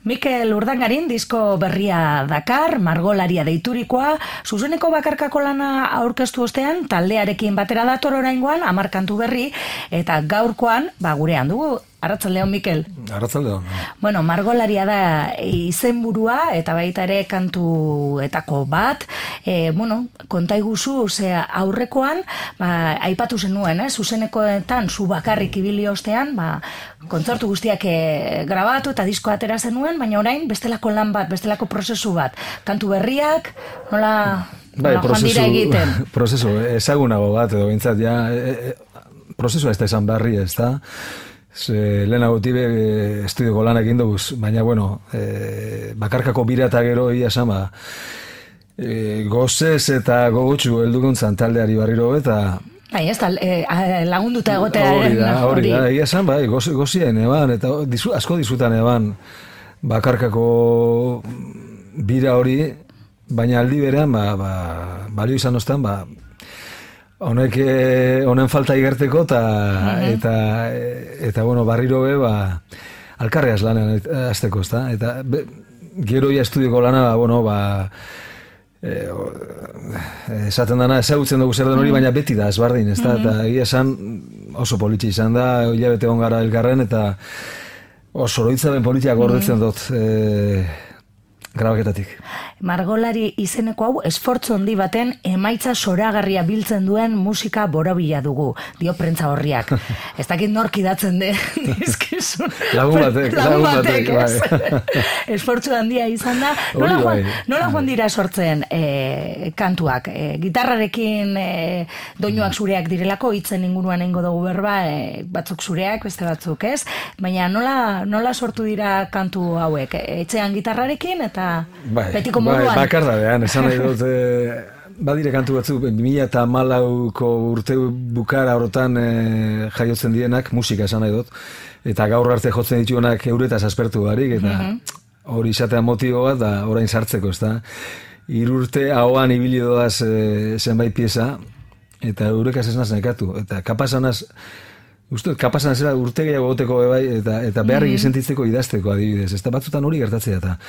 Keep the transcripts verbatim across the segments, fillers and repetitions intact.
Mikel Urdangarin disko berria dakar, margolaria deiturikoa, zuzeneko bakarkako lana aurkeztu ostean, taldearekin batera dator oraingoan, hamar kantu berri, eta gaurkoan, ba, gurean dugu, Arratsaldeon, Mikel. Arratsaldeon. Bueno, margolaria da izenburua eta baita ere kantuetako bat. E, bueno, konta iguzu, ze aurrekoan, ba, aipatu zenuen, eh? Zuzenekoetan, zu bakarrik ibili ostean, ba, kontzertu guztiak e, grabatu eta disko atera zenuen, baina orain bestelako lan bat, bestelako prozesu bat. Kantu berriak, nola, bai, nola joan dira egiten? Prozesu, ezagunago bat, edo bintzat, ja, e, e, prozesua ez da esan barri, ez da? Lehenago tibe estudioko lanak indoguz, baina, bueno, e, bakarkako bira eta gero ia sama, e, gozez eta gogotxu helduguntzan taldeari barriro eta... Bai, ez da, e, lagunduta egotea... Hori da, hori da, ia esan, bai, gozien eban, eta dizu, asko dizutan eban bakarkako bira hori, baina aldi berean, ba, ba, balio izan ostan, ba, honek honen falta igerteko eta uh-huh. eta eta bueno, barriro be ba alkarreaz lanean hasteko, ezta? Eta be, gero ja estudioko lana, ba, bueno, ba eh, esaten dana ezagutzen dugu zer den hori, baina beti da ezberdin, ezta? Uh-huh. Eta egia esan oso politxe izan da, hilabete on gara elkarren eta oso oroitzapen politiak gordetzen dut eh, grabaketatik. Margolari izeneko hau esfortzu handi baten emaitza zoragarria biltzen duen musika borobila dugu, dio prentza horriak. Ez dakit nork idatzen den dizkizun. Lagun batek, lagun batek, bai. Esfortzu handia izan da. Nola joan, nola joan dira sortzen e, kantuak? E, gitarrarekin e, doinuak zureak direlako, hitzen inguruan eingo dugu berba, e, batzuk zureak, beste batzuk ez. Baina nola, nola sortu dira kantu hauek? E, etxean gitarrarekin eta bai, betiko bai, moduan? bakardadean, esan nahi dut, e, badire kantu batzuk, bi mila hamalauko urte bukara horotan e, jaiotzen dienak, musika esan nahi dut, eta gaur arte jotzen dituenak euretaz aspertu barik, eta hori mm-hmm. izatea motibo bat, da orain sartzeko, ez da. Irurte ahoan ibili doaz e, zenbait pieza, eta eurekaz ez naz nekatu, eta kapazanaz, uste, kapazan zera urte gehiago goteko bai, eta, eta beharrik mm-hmm. sentitzeko idazteko adibidez, ez da batzutan hori gertatzea, eta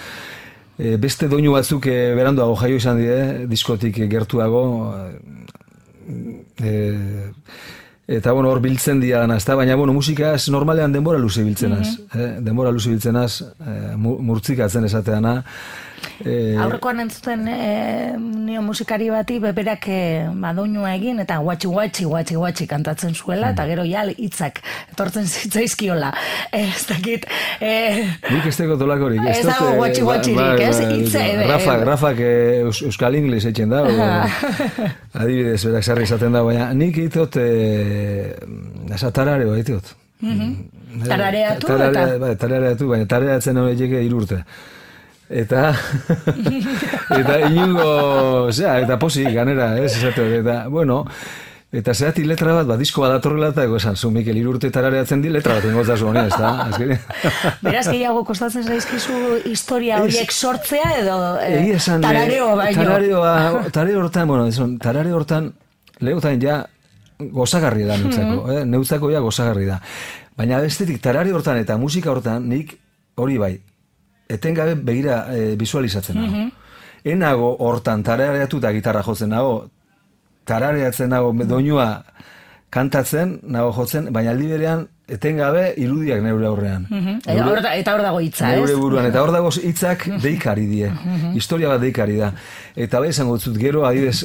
E, beste doinu batzuk e, beranduago jaio izan die, diskotik gertuago, e, eta bueno, hor biltzen dira dana, ezta? Baina bueno, musikaz normalean denbora luze biltzenaz, mm-hmm. eh? denbora luze biltzenaz, e, murtzikatzen esateana. E, Aurrekoan entzuten e, nio musikari bati beberak e, doinua egin eta guatxi guatxi guatxi guatxi kantatzen zuela mm. eta gero ja hitzak etortzen zitzaizkiola. E, ez dakit... E, Nik ez teko tolakorik. Ez dago guatxi guatxirik, ez? Hitze... Rafak, Rafak euskal ingles eitzen da, adibidez, berak sarri izaten da, baina nik eitot esa tarareo eitot. Tarareatu eta... Tarareatu, baina tarareatzen horiek irurte. Eta eta inungo, osea, eta posi ganera, ez, esate, eta, bueno, eta zehati letra bat, bat disko bat datorrela, eta esan, zu, Mikel, irurte tarareatzen di, letra bat ingotza zuen, ez da? Beraz, gehiago kostatzen zaizkizu historia horiek sortzea, edo eh, esan, tarareo baino? Tarareoa, tarareo hortan, bueno, esan, tarareo hortan, lehotan ja gozagarri da neutzako, mm-hmm. eh? neutzako ja gozagarri da. Baina bestetik, tarareo hortan eta musika hortan, nik hori bai, etengabe begira e, visualizatzen nago. Mm-hmm. Enago hortan tarareatu eta gitarra jotzen nago, tarareatzen nago doinua kantatzen, nago jotzen, baina aldi berean etengabe irudiak neure aurrean. Mm-hmm. Neure, eta hor dago hitza, ez? Neure buruan, eta hor dago hitzak deikari die. Mm-hmm. Historia bat deikari da. Eta bai esango dut gero, adibidez,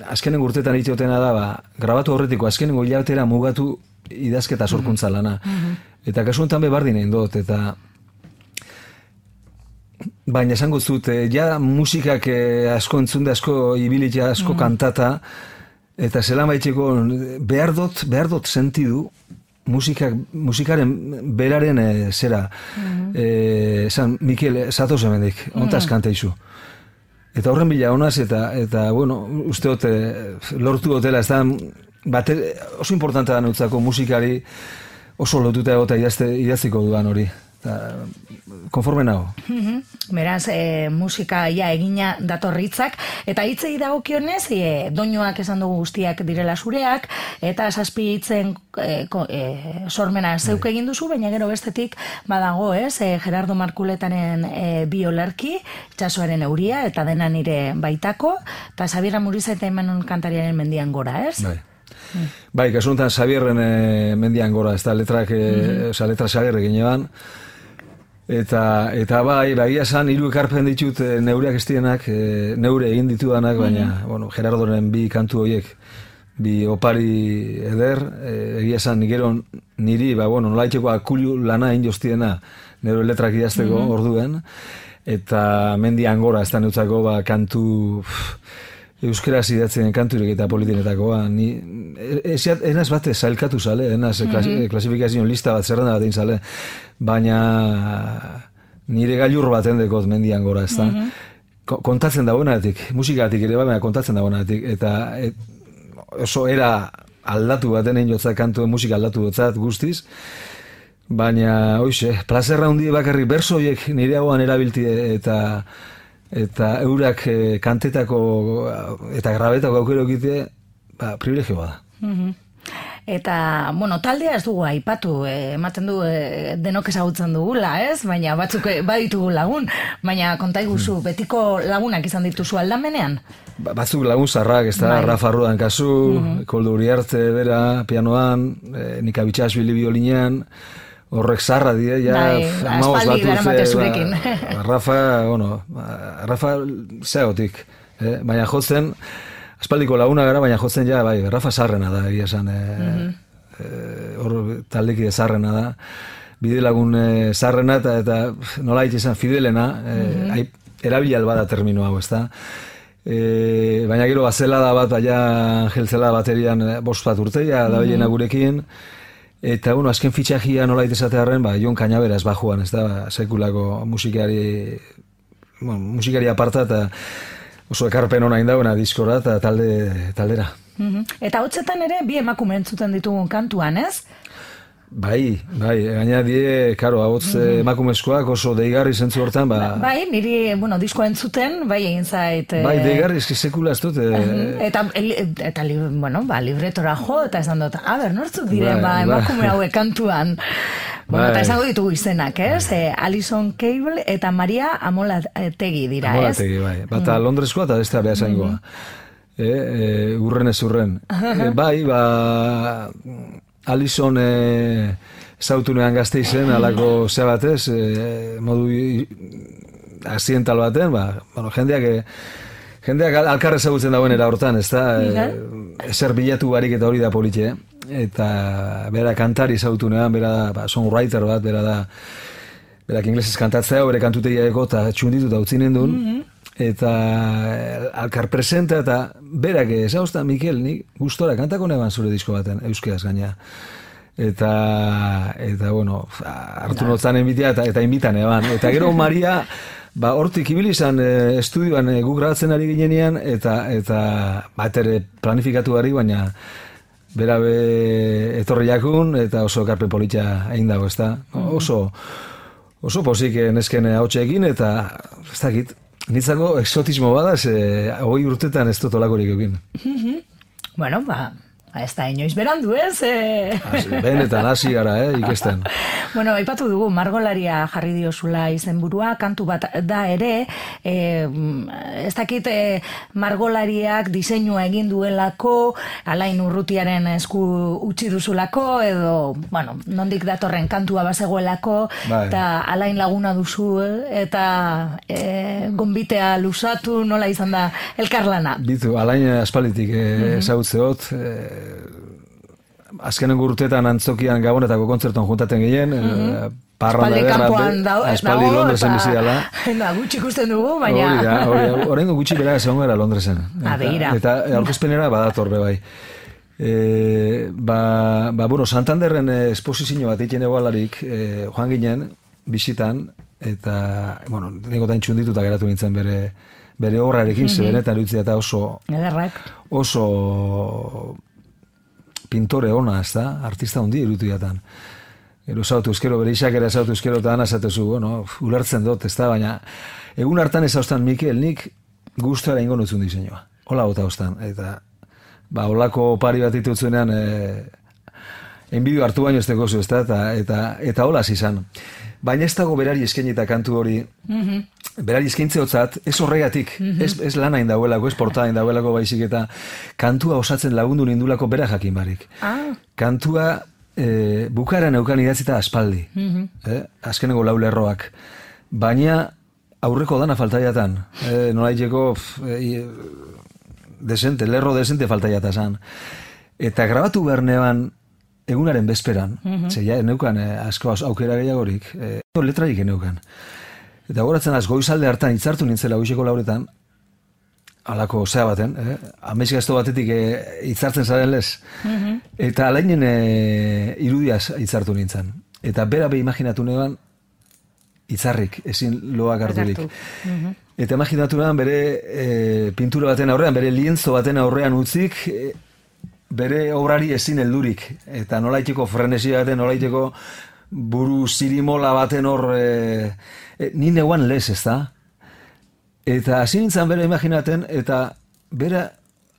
azkenen urtetan itotena da, ba, grabatu horretiko, azkenen hilabetera mugatu idazketa sorkuntza lana. Mm-hmm. Eta kasu honetan be bardin egin dut, eta baina esango zut, ja musikak asko entzunde, asko ibilitia, asko mm. kantata, eta zela maitxeko behar dut, behar dut sentidu musikak, musikaren beraren e, zera. Mm. E, esan, Mikel, zatoz hemendik, ontaz mm. kanteizu. Eta horren bila honaz, eta, eta bueno, uste dut, lortu dutela, ez da, bate, oso importantea da neutzako musikari oso lotuta egota idazte, idaziko duan hori. konforme nago. Beraz, e, musika ja egina datorritzak, eta hitzei dagokionez, e, doinuak esan dugu guztiak direla zureak, eta zazpi hitzen e, e, sormena zeuk egin duzu, baina gero bestetik badago, ez, e, Gerardo Markuletaren e, bi olerki, Itsasoaren euria, eta dena nire baitako, eta Xabier Amuriza eta Imanol kantariaren mendian gora, ez? Bai. Mm. Bai, kasu honetan Xabierren e, mendian gora, ez da letrak, e, mm-hmm. oza, letra Xabierre gineban, eta, eta bai, bagia esan, hiru ekarpen ditut e, neureak estienak, e, neure egin ditudanak, baina, mm-hmm. bueno, Gerardoren bi kantu horiek, bi opari eder, e, egia esan, gero niri, ba, bueno, nolaiteko akulu lana injoztiena, neure letrak idazteko mm-hmm. orduen, eta mendian gora, ez da neutzako, ba, kantu... Pff, euskera zidatzen kanturik eta politinetakoa. Ni, ez, enaz bate zailkatu zale, enaz mm-hmm. klasifikazio lista bat zerrenda bat egin zale, baina nire gailur bat endekot mendian gora, ez da. Mm-hmm. Kontatzen dagoenatik, musikatik ere, baina kontatzen dagoenatik, eta et, oso era aldatu baten egin jotzat kantu, musika aldatu jotzat guztiz, baina, hoxe, plazerra hundi bakarrik bersoiek nire hauan erabilti eta eta eurak e, kantetako eta grabetako aukero egite, ba, privilegio bada. Mm-hmm. Eta, bueno, taldea ez dugu aipatu, eh, ematen du eh, denok ezagutzen dugula, ez? Baina batzuk baditugu lagun, baina kontaiguzu, mm. betiko lagunak izan dituzu aldamenean? Ba, batzuk lagun zarrak, ez da, Rafa Rudan kasu, mm-hmm. Koldo Uriarte, bera, pianoan, eh, Nika Bitxasbili biolinean, horrek zarra die, ja, amagoz batuz, ba, Rafa, bueno, Rafa zeotik, eh? baina jotzen, aspaldiko laguna gara, baina jotzen ja, bai, Rafa zarrena da, egia esan, eh, mm-hmm. eh, hor taldeki zarrena da, bide lagun eh, zarrena, eta, eta nola hitz izan, fidelena, eh, mm-hmm. erabilial bada termino hau, ez da, eh, baina gero bazelada bat, baina Angel Zelada baterian eh, bost bat urteia, da mm-hmm. gurekin, eta, bueno, azken fitxajia nola itezatearen, ba, Jon Cañabera ez bajuan, ez da, sekulako musikari, bueno, musikari aparta, eta oso ekarpen hona indauena diskora, eta talde, taldera. Mm-hmm. Eta hotzetan ere, bi emakume entzuten ditugun kantuan, ez? Bai, bai, gaina die, karo, ahots mm-hmm. emakumezkoak oso deigarri zentzu hortan, ba... Bai, niri, bueno, diskoa entzuten, bai egin zait... Bai, deigarri, eski sekula ez dut... E... Eta, eta, bueno, ba, libretora jo, eta esan dut, a ber, nortzuk diren, ba, emakume hauek kantuan... Bueno, eta esango ditugu izenak, ez? Eh, Alison Cable eta Maria Amolategi dira, ez? Amolategi, bai. Bata mm. Londreskoa eta bestea beha zaingoa. Mm-hmm. E, e, urren ez urren. E, bai, ba... Alison e, zautunean gazte izen, alako zea batez, e, modu aziental baten, ba, bueno, jendeak... E, jendeak alkarre ezagutzen dagoen era hortan, ez da? Mm-hmm. E, ezer bilatu barik eta hori da politxe, eta bera kantari zautunean, bera da, ba, songwriter bat, bera da, berak inglesez kantatzea, bere kantutegia eko eta txunditu eta utzinen duen, mm-hmm. eta alkar presenta, eta berak ezauzta, Mikel, nik gustora kantako neban zure disko baten, euskeaz gaina. Eta, eta bueno, hartu notzan enbitea, eta, eta inbitan eban. Eta gero Maria, ba, hortik ibili izan e, estudioan e, guk grabatzen ari ginenean, eta, eta bat ere planifikatu ari, baina bera be etorri jakun, eta oso ekarpen politxa egin dago, ez da? Oso, oso posik nesken hautseekin, eta ez dakit, nitzako exotismo bada, ze hogei urtetan ez dut olakorik egin. Bueno, ba, ez da inoiz berandu, ez? E... Benetan, hasi gara, eh, ikesten. Bueno, aipatu dugu, margolaria jarri diozula izenburua, kantu bat da ere, e, ez dakit e, margolariak diseinua egin duelako, Alain Urrutiaren esku utzi duzulako, edo, bueno, nondik datorren kantua bazegoelako, eta Alain laguna duzu, eta e, gonbitea lusatu, nola izan da elkarlana? Bitu, Alain aspalitik e, ezagutzeot, e, azkenen urteetan antzokian gabonetako kontzertuan juntaten gehien, mm-hmm. parranda ederra, aspaldi Londresen bizi dela. Da, gutxi ikusten dugu, baina... Hori da, hori da, horrengo gutxi bera egon gara Londresen. Eta, eta aurkezpenera badator be bai. E, ba, ba, bueno, Santanderren esposizio bat egiten egualarik e, joan ginen, bisitan, eta, bueno, negotan txundituta geratu nintzen bere bere obrarekin, mm-hmm. zebenetan erutzea eta oso... Ederrak. Oso... pintore ona, ez da, artista hundi irutiatan. Gero zautu ezkero, bere isakera zautu ezkero, eta ana zatezu, bueno, ulertzen dut, ez da, baina egun hartan ez haustan, Mikel, nik guztuara ingo nutzun diseinua. Hola gota haustan, eta ba, holako pari bat ditutzenean, e, enbidio hartu baino ez tekozu, ez da, eta, eta, eta hola izan. Baina ez dago berari eskainita kantu hori, mm-hmm. berari eskaintze hotzat, ez horregatik, mm-hmm. ez, ez lana indauelako, ez portada indauelako baizik, eta kantua osatzen lagundu nindulako bera jakin barik. Ah. Kantua e, bukara neukan idatzita aspaldi, mm-hmm. eh? Azkeneko lau lerroak. Baina aurreko dana faltaiatan, eh, nolaiteko e, desente, lerro desente faltaiata zan. Eta grabatu behar neban egunaren bezperan, mm-hmm. ze ja, neukan eh, asko aukera gehiagorik, eh, letrarik neukan. Eta goratzen az, goizalde hartan hitzartu nintzela goizeko lauretan, alako zea baten, eh? Amezgazto batetik eh, hitzartzen zaren lez. Mm-hmm. Eta alainen eh, irudiaz hitzartu nintzen. Eta bera be imaginatu neban, hitzarrik, ezin loak harturik. Mm-hmm. Eta imaginatu neban bere eh, pintura baten aurrean, bere lienzo baten aurrean utzik, eh, bere obrari ezin heldurik, eta nolaiteko frenesia baten, nolaiteko buru zirimola baten hor, e, e, ni neuan lez, ez da? Eta hasi nintzen bera imaginaten, eta bera,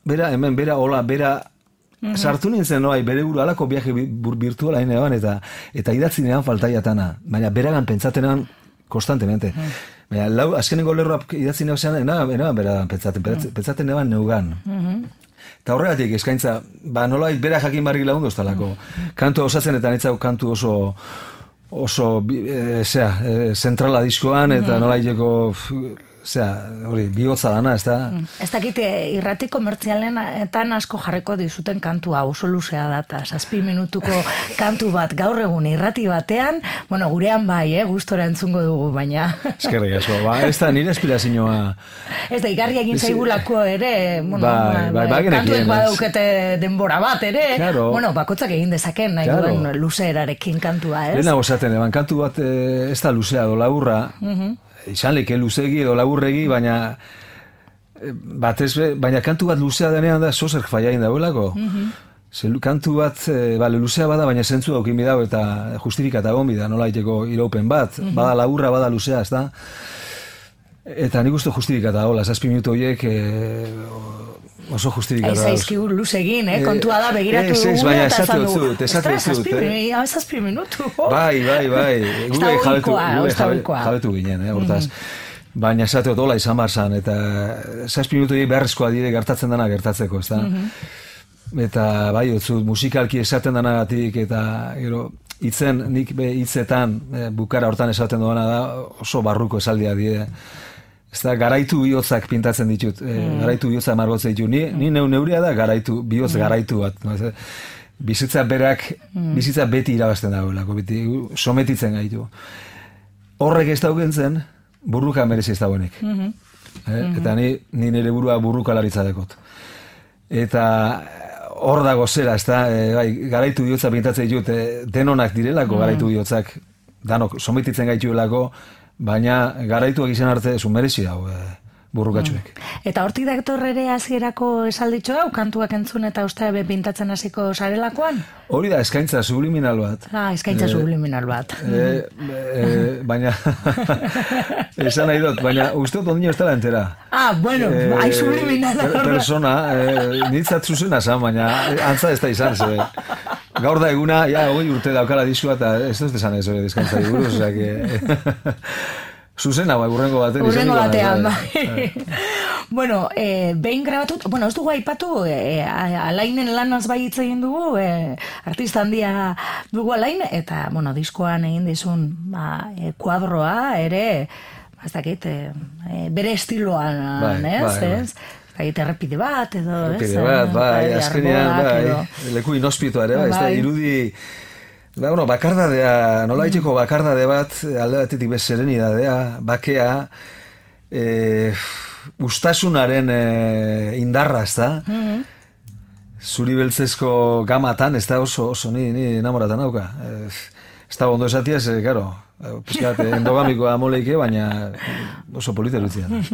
bera hemen, bera hola, bera mm-hmm. sartu nintzen noai, bere buru alako viaje virtuala inean, eta, eta idatzi nean faltaiatana, baina beragan pentsatenan konstantemente. Mm-hmm. Baina lau, azkeneko lerroak idatzi nean, enaban beragan pentsaten, mm-hmm. pentsaten neban neugan. Mm-hmm. Eta horregatik eskaintza, ba nolait bera jakin barrik lagundu ez talako. Kantu osatzen eta nitzau kantu oso, oso e, zera, e, zentrala diskoan, eta nolaiteko, zera, hori, bihotza dana, ez da? Ez dakit, irrati komertzialenetan asko jarriko dizuten kantua, oso luzea data, zazpi minutuko kantu bat gaur egun irrati batean, bueno, gurean bai, eh, gustora entzungo dugu, baina... Eskerrik asko, ba, ez da nire espirazioa... Ez da, igarri egin zaigulako ere, bueno, bai, bai, bai, kantuek badaukete denbora bat ere, claro. Bueno, bakotzak egin dezaken, nahi claro. Duen luzeerarekin kantua, ez? Lena gozaten, eban, kantu bat ez da luzea, do laburra, uh-huh. izan leke luzegi edo laburregi, baina batez, baina kantu bat luzea denean da zozerk faiain dauelako. Mm-hmm. Ze kantu bat, e, bale, luzea bada, baina zentzu daukin bidau eta justifikata gon bida, nola iteko iraupen bat, mm-hmm. bada laburra, bada luzea, ez da? Eta nik uste justifikata hola, zazpi minutu horiek e, oso justifikata. Ez aizkigur luzegin, eh? Kontua da, begiratu dugu. Ez, baina esate dut, esate dut. Ez zazpi minutu. Bai, bai, bai. Gure jabetu ginen, eh, hortaz. Baina esate dut, hola izan barzan, eta zazpi minutu beharrezkoa dire gertatzen dana gertatzeko, ez da? Eta bai, otzut, musikalki esaten danagatik, eta gero, hitzen, nik be hitzetan, bukara hortan esaten duena da, oso barruko esaldia dire. Ez da, garaitu bihotzak pintatzen ditut, mm. e, garaitu bihotzak margotzen ditut. Ni, ni neu neuria da garaitu, bihotz mm. garaitu bat. No? Bizitza berak, mm. bizitza beti irabazten dagoelako, beti sometitzen gaitu. Horrek ez daukentzen, burruka merezi ez dagoenik. Mm-hmm. E, mm-hmm. Eta ni, ni nire burua burrukalaritza dekot. Eta hor dago zera, ez da, e, bai, garaitu bihotzak pintatzen ditut, e, denonak direlako mm. garaitu bihotzak, danok sometitzen gaituelako, baina garaituak izan arte esun merezi dago e, burrukatxuek. Mm. Eta hortik daktorrere hasierako esalditxo hau, kantuak entzun eta uste be pintatzen hasiko sarelakoan? Hori da, eskaintza subliminal bat. Ah, eskaintza e, subliminal bat. E, e, baina, esan nahi dut, baina uste dut ondino ez dela entera. Ah, bueno, e, hai subliminal. Per, persona, e, nitzat zuzena zan, baina antza ez da izan, ze. Gaur da eguna, ja, hoi urte daukala dizua, eta ez dut esan ez hori dizkantza diguruz, osea, que... Zuzena, bai, urrengo batean. Urrengo batean, bai. Bueno, eh, behin grabatut, bueno, ez dugu aipatu, eh, Alainen lanaz bai hitz egin dugu, eh, artista handia dugu Alain, eta, bueno, diskoan egin dizun, ba, eh, kuadroa, ere, ez dakit, eh, bere estiloan, bai, ez, bai, ez? Bai, errepide bat, edo, ez? Errepide bat, bai, azkenean, bai, leku inospitoa ere, bai, ez da, irudi... Ba, bueno, bakardadea, nola itxeko bakardade bat, alde batetik bez serenidadea, bakea, e, ustasunaren e, indarra, ez da? Mm-hmm. Zuri beltzezko gamatan, ez da oso, oso ni, ni enamoratan hauka. E, ez da ondo esatiaz, e, karo, pizkat, endogamikoa moleike, baina oso polita erutzian.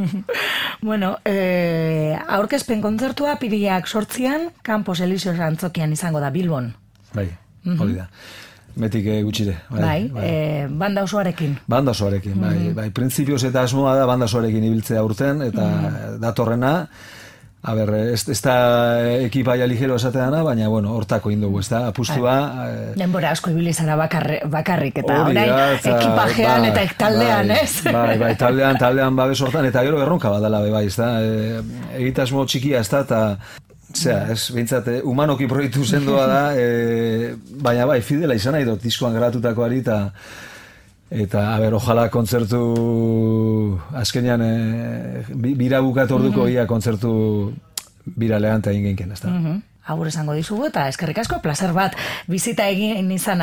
Bueno, e, aurkezpen kontzertua piriak sortzian, Campos Elíseos Antzokian izango da, Bilbon. Bai, hori da. metik eh, gutxire. Bai, bai, bai. E, banda osoarekin. Banda osoarekin, bai. Mm-hmm. Bai, printzipioz eta asmoa da banda osoarekin ibiltzea urten, eta mm-hmm. datorrena, a ber, ez, ez da ekipaia ligero esateana, baina, bueno, hortako indugu, ez da, apustua... Eh, Denbora asko ibili zara bakarri, bakarrik, eta orain ekipajean ba, eta taldean, bai, ez? Bai, bai, taldean, taldean babes hortan, eta gero erronka badala, bai, ez da, e, egitasmo txikia ez da, eta... Zea, ez, bintzat, humanoki proiektu sendoa da, e, baina bai, fidela izan nahi dut, diskoan gratutakoari, eta eta, a ber, ojala kontzertu azkenean e, bira bukatu orduko ia kontzertu bira lehanta egin genken, ez da. Agur esango dizugu, eta eskerrik asko, plazer bat, bizita egin izan